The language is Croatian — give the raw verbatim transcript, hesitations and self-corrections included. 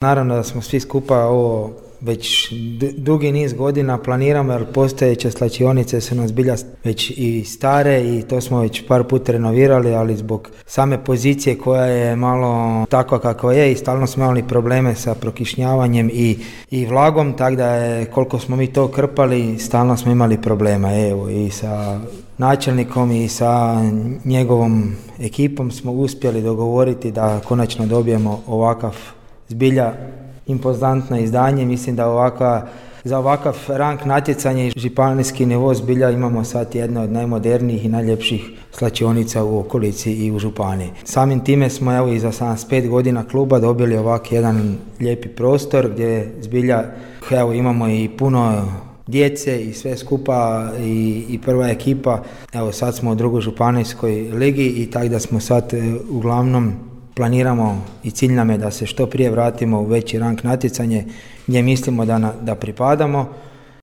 Naravno da smo svi skupa ovo već dugi niz godina planiramo, jer postojeće slačionice su nas bilja već i stare i to smo već par puta renovirali, ali zbog same pozicije koja je malo takva kakva je i stalno smo imali probleme sa prokišnjavanjem i, i vlagom, tako da je koliko smo mi to krpali, stalno smo imali problema. Evo i sa načelnikom i sa njegovom ekipom smo uspjeli dogovoriti da konačno dobijemo ovakav zbilja impozantno izdanje. Mislim da ovaka, za ovakav rang natjecanja i županijski nivo zbilja imamo sad jedno od najmodernijih i najljepših slačionica u okolici i u županiji. Samim time smo evo i za sedamdeset pet godina kluba dobili ovak jedan lijepi prostor gdje zbilja evo imamo i puno djece i sve skupa i, i prva ekipa. Evo sad smo u drugoj županijskoj ligi i tako da smo sad uglavnom planiramo i cilj nam je da se što prije vratimo u veći rang natjecanje gdje mislimo da, na, da pripadamo.